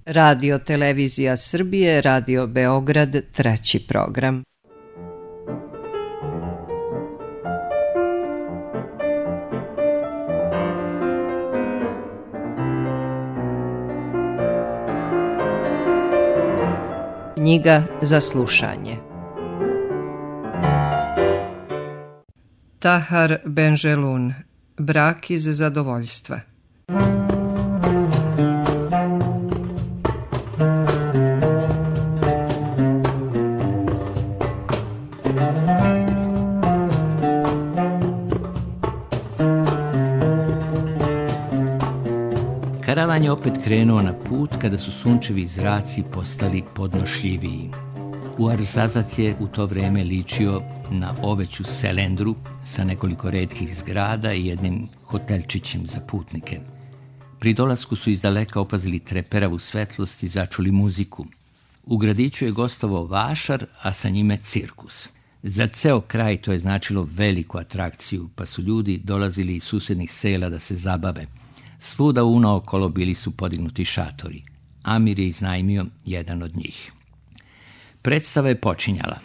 Radio Televizija Srbije, Radio Beograd, 3. program. Knjiga za slušanje. Tahar Benjelun, Brak iz zadovoljstva. Karavan je opet krenuo na put kada su sunčevi zraci postali podnošljiviji. Ouarzazate je u to vreme ličio na oveću selendru sa nekoliko retkih zgrada i jednim hotelčićem za putnike. Pri dolasku su izdaleka opazili treperavu svetlost i začuli muziku. U gradiću je gostovao vašar, a sa njime cirkus. Za ceo kraj to je značilo veliku atrakciju, pa su ljudi dolazili iz susednih sela da se zabave. Svuda unaokolo bili su podignuti šatori. Amir je iznajmio jedan od njih. Predstava je počinjala.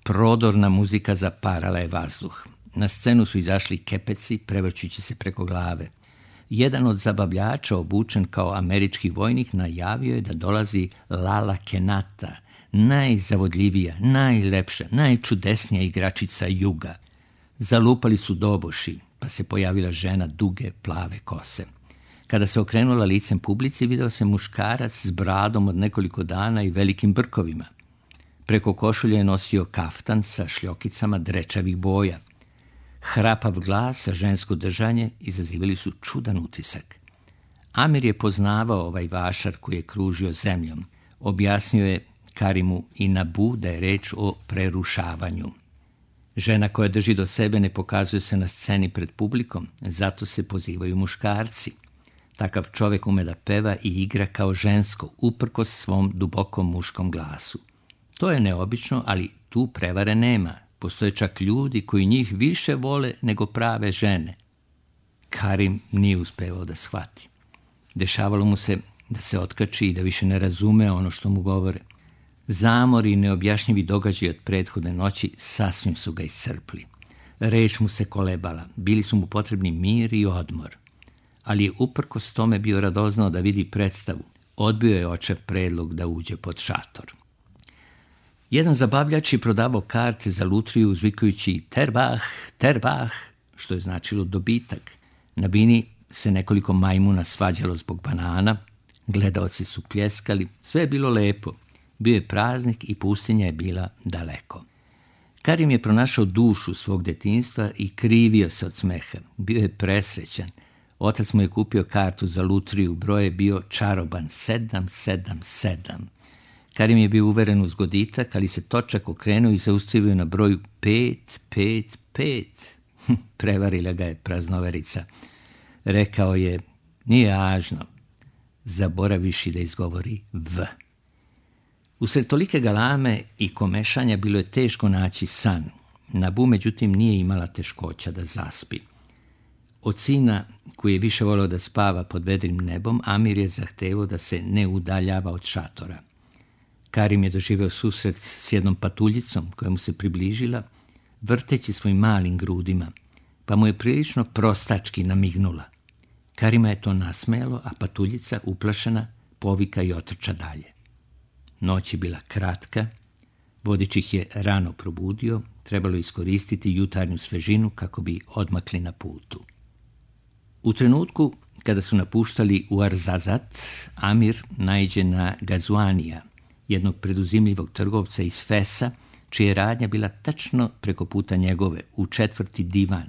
Prodorna muzika zaparala je vazduh. Na scenu su izašli kepeci, prevrćući se preko glave. Jedan od zabavljača, obučen kao američki vojnik, najavio je da dolazi Lala Kenata, najzavodljivija, najlepša, najčudesnija igračica juga. Zalupali su doboši, pa se pojavila žena duge, plave kose. Kada se okrenula licem publici, video se muškarac s bradom od nekoliko dana i velikim brkovima. Preko košulje je nosio kaftan sa šljokicama drečavih boja. Hrapav glas, a žensko držanje izazivali su čudan utisak. Amir je poznavao ovaj vašar koji je kružio zemljom. Objasnio je Karimu i Nabu da je reč o prerušavanju. Žena koja drži do sebe ne pokazuje se na sceni pred publikom, zato se pozivaju muškarci. Takav čovjek ume da peva i igra kao žensko, uprkos svom dubokom muškom glasu. To je neobično, ali tu prevare nema. Postoje čak ljudi koji njih više vole nego prave žene. Karim nije uspevao da shvati. Dešavalo mu se da se otkači i da više ne razume ono što mu govore. Zamori i neobjašnjivi događaji od prethodne noći sasvim su ga iscrpli. Reč mu se kolebala, bili su mu potrebni mir i odmor. Ali je uprkos tome bio radoznao da vidi predstavu. Odbio je očev predlog da uđe pod šator. Jedan zabavljač je prodavao karte za lutriju uzvikujući terbah, terbah, što je značilo dobitak. Na bini se nekoliko majmuna svađalo zbog banana, gledaoci su pljeskali, sve je bilo lepo. Bio je praznik i pustinja je bila daleko. Karim je pronašao dušu svog detinjstva i krivio se od smeha. Bio je presrećan. Otac mu je kupio kartu za lutriju, broj je bio čaroban 777. Karim je bio uveren u zgoditak, ali se točak okrenuo i zaustavio na broju 555. Prevarila ga je praznoverica. Rekao je, nije važno, zaboraviši da izgovori V. Usred tolike galame i komešanja bilo je teško naći san. Nabu, međutim, nije imala teškoća da zaspi. Od sina, koji je više volio da spava pod vedrim nebom, Amir je zahtevao da se ne udaljava od šatora. Karim je doživeo susret s jednom patuljicom koja mu se približila, vrteći svojim malim grudima, pa mu je prilično prostački namignula. Karima je to nasmejalo, a patuljica, uplašena, povika i otrča dalje. Noć je bila kratka, vodič ih je rano probudio, trebalo iskoristiti jutarnju svežinu kako bi odmakli na putu. U trenutku kada su napuštali Ouarzazate, Amir naiđe na Gazuanija, jednog preduzimljivog trgovca iz Fesa, čija je radnja bila tačno preko puta njegove, u 4. divan.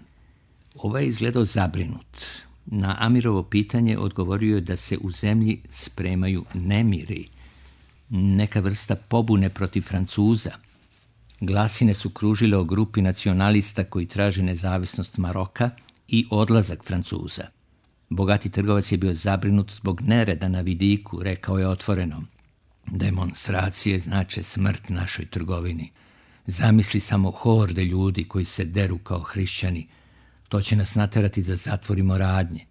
Ovaj je izgledao zabrinut. Na Amirovo pitanje odgovorio je da se u zemlji spremaju nemiri, neka vrsta pobune protiv Francuza. Glasine su kružile o grupi nacionalista koji traže nezavisnost Maroka i odlazak Francuza. Bogati trgovac je bio zabrinut zbog nereda na vidiku, rekao je otvoreno. Demonstracije znače smrt našoj trgovini. Zamisli samo horde ljudi koji se deru kao hrišćani. To će nas naterati da zatvorimo radnje.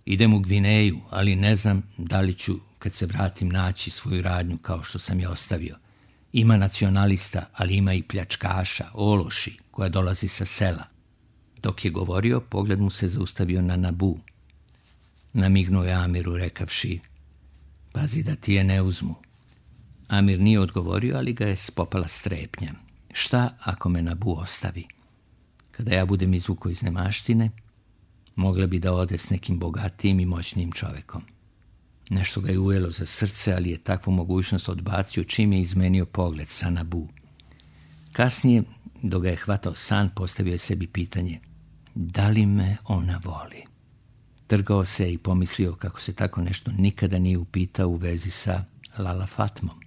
Idem u Gvineju, ali ne znam da li ću kad se vratim naći svoju radnju kao što sam je ostavio. Ima nacionalista, ali ima i pljačkaša, ološi, koja dolazi sa sela. Dok je govorio, pogled mu se zaustavio na Nabu. Namignuo je Amiru rekavši: pazi da ti je ne uzmu. Amir nije odgovorio, ali ga je spopala strepnja. Šta ako me Nabu ostavi? Kada ja budem izvukao iz nemaštine, mogla bi da ode s nekim bogatijim i moćnijim čovekom. Nešto ga je ujelo za srce, ali je takvu mogućnost odbacio čim je izmenio pogled sa Nabu. Kasnije, dok ga je hvatao san, postavio je sebi pitanje: da li me ona voli? Trgao se i pomislio kako se tako nešto nikada nije upitao u vezi sa Lala Fatmom.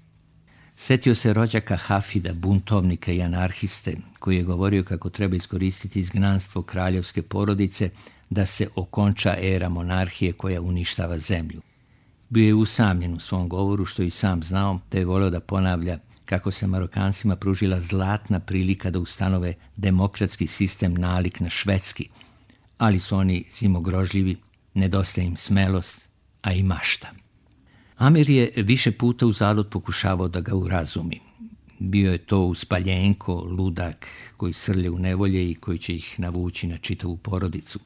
Setio se rođaka Hafida, buntovnika i anarhiste, koji je govorio kako treba iskoristiti izgnanstvo kraljevske porodice da se okonča era monarhije koja uništava zemlju. Bio je usamljen u svom govoru, što i sam znao, te je voleo da ponavlja kako se Marokancima pružila zlatna prilika da ustanove demokratski sistem nalik na švedski, ali su oni zimogrožljivi, nedostaje im smelost, a i mašta. Amir je više puta uzalud pokušavao da ga urazumi. Bio je to uspaljenko, ludak koji srlje u nevolje i koji će ih navući na čitavu porodicu.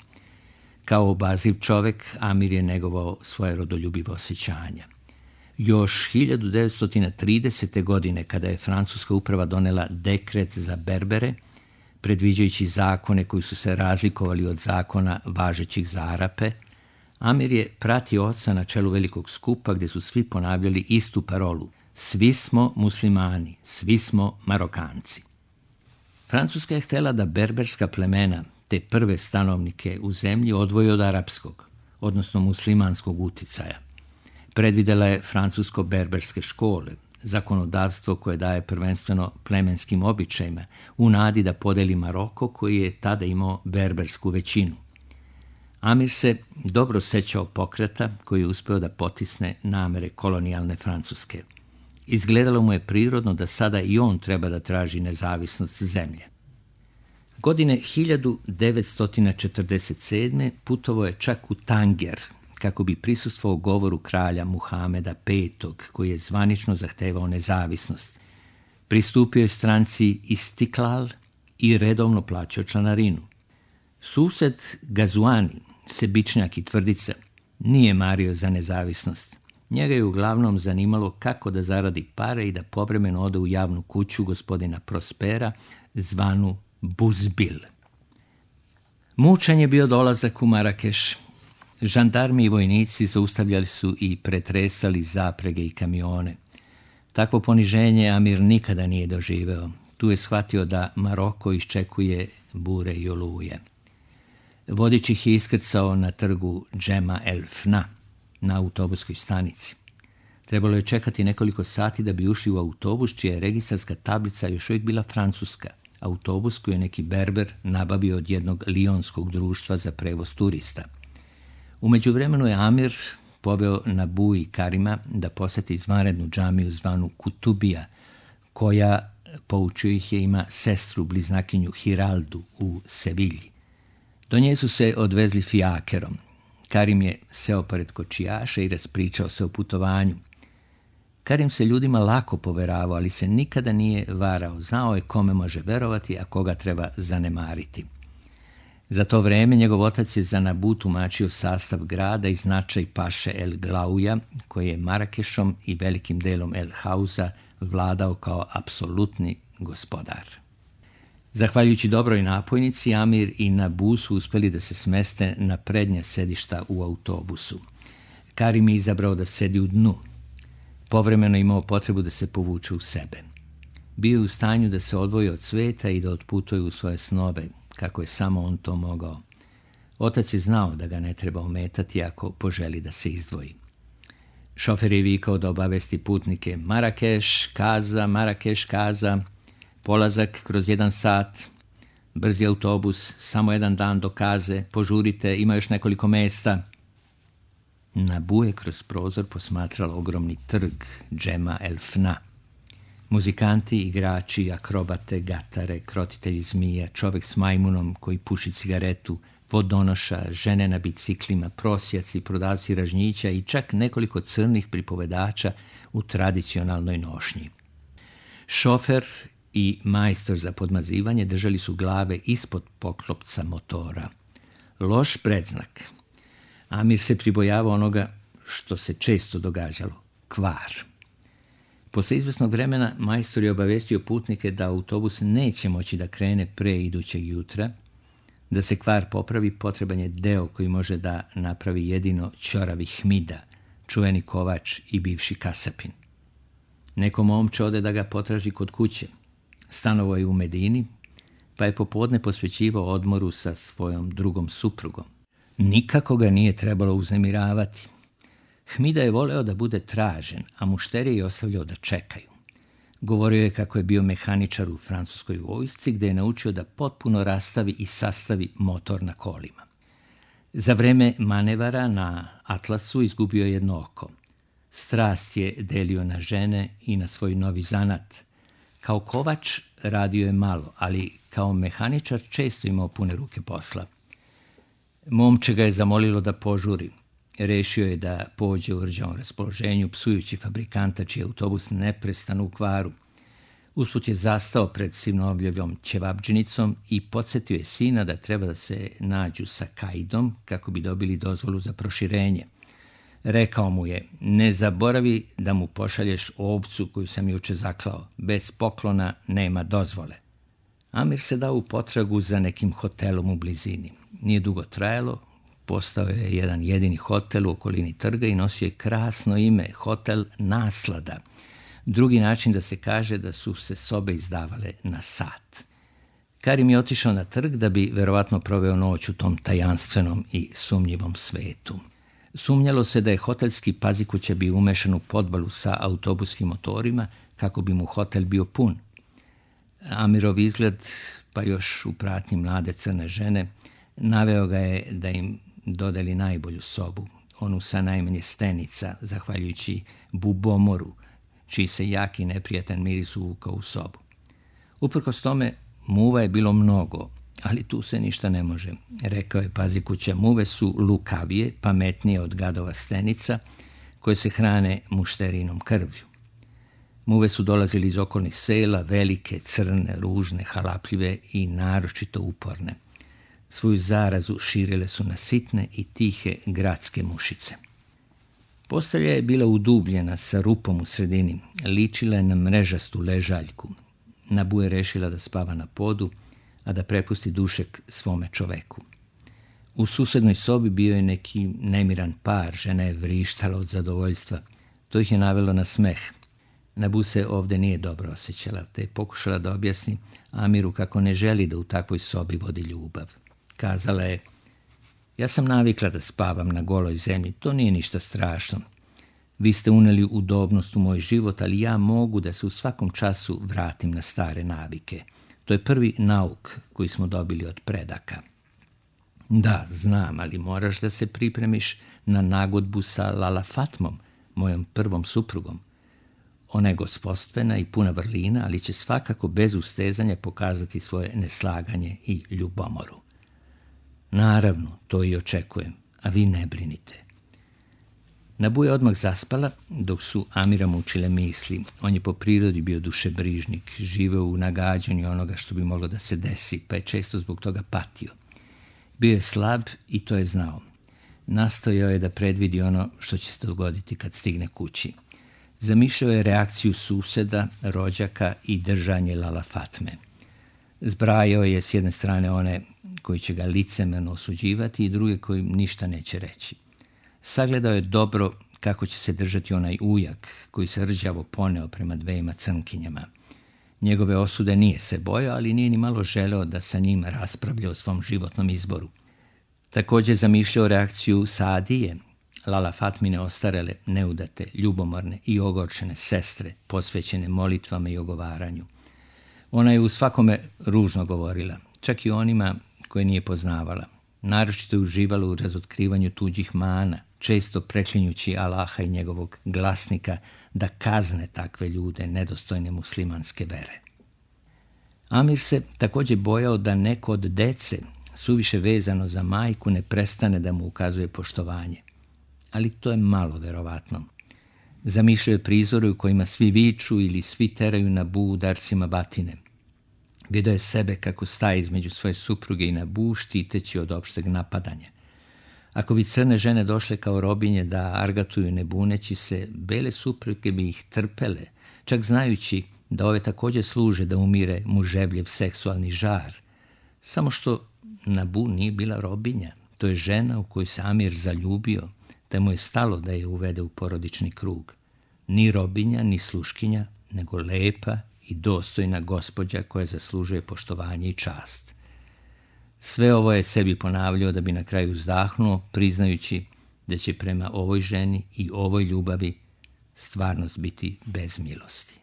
Kao obaziv čovek, Amir je negovao svoje rodoljubivo osjećanja. Još 1930. godine, kada je francuska uprava donela dekret za Berbere, predviđajući zakone koji su se razlikovali od zakona važećih za Arape, Amir je pratio oca na čelu velikog skupa gdje su svi ponavljali istu parolu: svi smo muslimani, svi smo Marokanci. Francuska je htjela da berberska plemena, te prve stanovnike u zemlji, odvoji od arapskog, odnosno muslimanskog uticaja. Predvidela je francusko-berberske škole, zakonodavstvo koje daje prvenstveno plemenskim običajima, u nadi da podeli Maroko koji je tada imao berbersku većinu. Amir se dobro sećao pokreta koji je uspeo da potisne namere kolonijalne Francuske. Izgledalo mu je prirodno da sada i on treba da traži nezavisnost zemlje. Godine 1947. putovao je čak u Tanger, kako bi prisustvovao govoru kralja Muhameda V, koji je zvanično zahtevao nezavisnost. Pristupio je stranci Istiklal i redovno plaćao članarinu. Sused Gazuani, sebičnjak i tvrdica, nije mario za nezavisnost. Njega je uglavnom zanimalo kako da zaradi pare i da povremeno ode u javnu kuću gospodina Prospera, zvanu Buzbil. Mučan je bio dolazak u Marakeš. Žandarmi i vojnici zaustavljali su i pretresali zaprege i kamione. Takvo poniženje Amir nikada nije doživeo. Tu je shvatio da Maroko iščekuje bure i oluje. Vodič ih je iskrcao na trgu Džema el Fna, na autobuskoj stanici. Trebalo je čekati nekoliko sati da bi ušli u autobus, čija je registarska tablica još uvijek bila francuska. Autobus koji je neki berber nabavio od jednog lionskog društva za prevoz turista. U međuvremenu je Amir poveo Nabu i Karima da posjeti izvanrednu džamiju zvanu Kutubija, koja, poučio ih je, ima sestru bliznakinju Hiraldu u Sevilji. Do nje su se odvezli fijakerom. Karim je seo pored kočijaša i raspričao se o putovanju. Karim se ljudima lako poveravao, ali se nikada nije varao. Znao je kome može verovati, a koga treba zanemariti. Za to vreme njegov otac je za Nabu tumačio sastav grada i značaj paše El Glauja, koji je Marakešom i velikim delom El Hauza vladao kao apsolutni gospodar. Zahvaljujući dobroj napojnici, Amir i Nabu su uspjeli da se smeste na prednja sedišta u autobusu. Karim je izabrao da sedi u dnu. Povremeno imao potrebu da se povuče u sebe. Bio je u stanju da se odvoji od sveta i da otputuje u svoje snove, kako je samo on to mogao. Otac je znao da ga ne treba ometati ako poželi da se izdvoji. Šofer je vikao da obavesti putnike: Marakeš, Kaza, Marakeš, Kaza, polazak kroz 1 sat, brzi autobus, samo 1 dan do Kaze, požurite, ima još nekoliko mesta. Nabu je kroz prozor posmatrala ogromni trg Džema el Fna. Muzikanti, igrači, akrobate, gatare, krotitelji zmija, čovjek s majmunom koji puši cigaretu, vodonoša, žene na biciklima, prosjaci, prodavci ražnjića i čak nekoliko crnih pripovedača u tradicionalnoj nošnji. Šofer i majstor za podmazivanje držali su glave ispod poklopca motora. Loš predznak. Amir se pribojavao onoga što se često događalo, kvar. Posle izvesnog vremena majstor je obavestio putnike da autobus neće moći da krene pre idućeg jutra. Da se kvar popravi, potreban je deo koji može da napravi jedino ćoravi Hmida, čuveni kovač i bivši kasapin. Neko momče ode da ga potraži kod kuće. Stanovao je u Medini, pa je popodne posvećivao odmoru sa svojom drugom suprugom. Nikako ga nije trebalo uznemiravati. Hmida je voleo da bude tražen, a mušterije je ostavljao da čekaju. Govorio je kako je bio mehaničar u francuskoj vojsci, gde je naučio da potpuno rastavi i sastavi motor na kolima. Za vreme manevara na Atlasu izgubio jedno oko. Strast je delio na žene i na svoj novi zanat. Kao kovač radio je malo, ali kao mehaničar često imao pune ruke posla. Momče ga je zamolilo da požuri. Rešio je da pođe u rđavom raspoloženju, psujući fabrikanta čiji autobus neprestano u kvaru. Usput je zastao pred sinovljevljom ćevabdžinicom i podsjetio je sina da treba da se nađu sa Kaidom kako bi dobili dozvolu za proširenje. Rekao mu je, ne zaboravi da mu pošalješ ovcu koju sam juče zaklao. Bez poklona nema dozvole. Amir se dao u potragu za nekim hotelom u blizini. Nije dugo trajalo, postao je jedan jedini hotel u okolini trga i nosio je krasno ime, Hotel Naslada. Drugi način da se kaže da su se sobe izdavale na sat. Karim je otišao na trg da bi verovatno proveo noć u tom tajanstvenom i sumnjivom svetu. Sumnjalo se da je hotelski pazikuća bio umešan u podbalu sa autobuskim motorima kako bi mu hotel bio pun. Amirov izgled, pa još u pratnji mlade crne žene, naveo ga je da im dodeli najbolju sobu, onu sa najmanje stenica, zahvaljujući bubomoru, čiji se jaki neprijatan miris uvukao u sobu. Uprkos tome, muva je bilo mnogo, ali tu se ništa ne može, rekao je pazikuća. Muve su lukavije, pametnije od gadova stenica, koje se hrane mušterinom krvlju. Muve su dolazili iz okolnih sela, velike, crne, ružne, halapljive i naročito uporne. Svoju zarazu širile su na sitne i tihe gradske mušice. Postelja je bila udubljena sa rupom u sredini, ličila je na mrežastu ležaljku. Nabu je rešila da spava na podu, a da prepusti dušek svome čoveku. U susednoj sobi bio je neki nemiran par, žena je vrištala od zadovoljstva. To ih je navelo na smeh. Nabu se ovde nije dobro osjećala, te je pokušala da objasni Amiru kako ne želi da u takvoj sobi vodi ljubav. Kazala je, ja sam navikla da spavam na goloj zemlji, to nije ništa strašno. Vi ste uneli udobnost u moj život, ali ja mogu da se u svakom času vratim na stare navike. To je prvi nauk koji smo dobili od predaka. Da, znam, ali moraš da se pripremiš na nagodbu sa Lala Fatmom, mojom prvom suprugom. Ona je gospodstvena i puna vrlina, ali će svakako bez ustezanja pokazati svoje neslaganje i ljubomoru. Naravno, to i očekujem, a vi ne brinite. Nabu je odmah zaspala, dok su Amira mučile misli. On je po prirodi bio dušebrižnik, živeo u nagađanju onoga što bi moglo da se desi, pa je često zbog toga patio. Bio je slab i to je znao. Nastojao je da predvidi ono što će se dogoditi kad stigne kući. Zamišljao je reakciju suseda, rođaka i držanje Lala Fatme. Zbrajao je s jedne strane one koji će ga licemerno osuđivati i druge koji ništa neće reći. Sagledao je dobro kako će se držati onaj ujak koji se rđavo poneo prema dvejima crnkinjama. Njegove osude nije se bojao, ali nije ni malo želeo da sa njim raspravlja o svom životnom izboru. Također zamišljao reakciju Saadije, Lala Fatmine ostarele, neudate, ljubomorne i ogorčene sestre, posvećene molitvama i ogovaranju. Ona je u svakome ružno govorila, čak i onima koje nije poznavala. Naročito je uživala u razotkrivanju tuđih mana, često preklinjući Allaha i njegovog glasnika da kazne takve ljude nedostojne muslimanske vere. Amir se također bojao da neko od dece, suviše vezano za majku, ne prestane da mu ukazuje poštovanje. Ali to je malo verovatno. Zamišljao je prizore u kojima svi viču ili svi teraju Nabu udarcima batine. Vidio je sebe kako staje između svoje supruge i Nabu, štiteći od opšteg napadanja. Ako bi crne žene došle kao robinje da argatuju ne buneći se, bele supruge bi ih trpele, čak znajući da ove također služe da umire muževljev seksualni žar. Samo što Nabu nije bila robinja, to je žena u koju se Amir zaljubio, te mu je stalo da je uvede u porodični krug. Ni robinja, ni sluškinja, nego lepa i dostojna gospođa koja zaslužuje poštovanje i čast. Sve ovo je sebi ponavljao da bi na kraju uzdahnuo, priznajući da će prema ovoj ženi i ovoj ljubavi stvarnost biti bez milosti.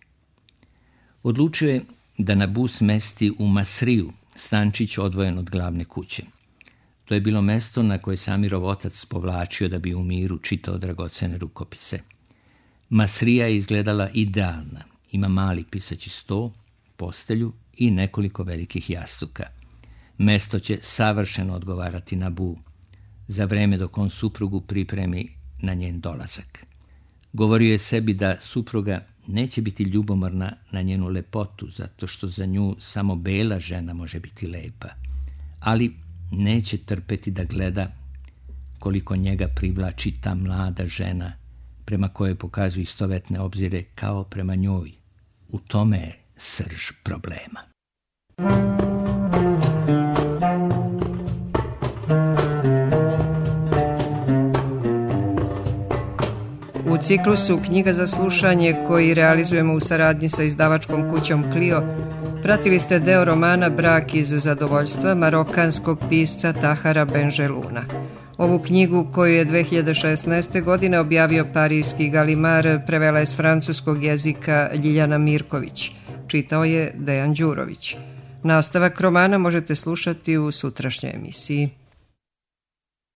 Odlučio je da Nabu smesti u Masriju, stančić odvojen od glavne kuće. To je bilo mesto na koje se Amirov otac povlačio da bi u miru čitao dragocene rukopise. Masrija je izgledala idealna. Ima mali pisaći sto, postelju i nekoliko velikih jastuka. Mesto će savršeno odgovarati Nabu, za vreme dok on suprugu pripremi na njen dolazak. Govorio je sebi da supruga neće biti ljubomorna na njenu lepotu, zato što za nju samo bela žena može biti lepa, ali neće trpeti da gleda koliko njega privlači ta mlada žena prema kojoj pokazuju istovetne obzire kao prema njoj. U tome je srž problema. U ciklusu Knjiga za slušanje, koji realizujemo u saradnji sa izdavačkom kućom Clio, pratili ste deo romana Brak iz zadovoljstva marokanskog pisca Tahara Benjeluna. Ovu knjigu, koju je 2016. godine objavio parijski Galimar, prevela je s francuskog jezika Ljiljana Mirković. Čitao je Dejan Đurović. Nastavak romana možete slušati u sutrašnjoj emisiji.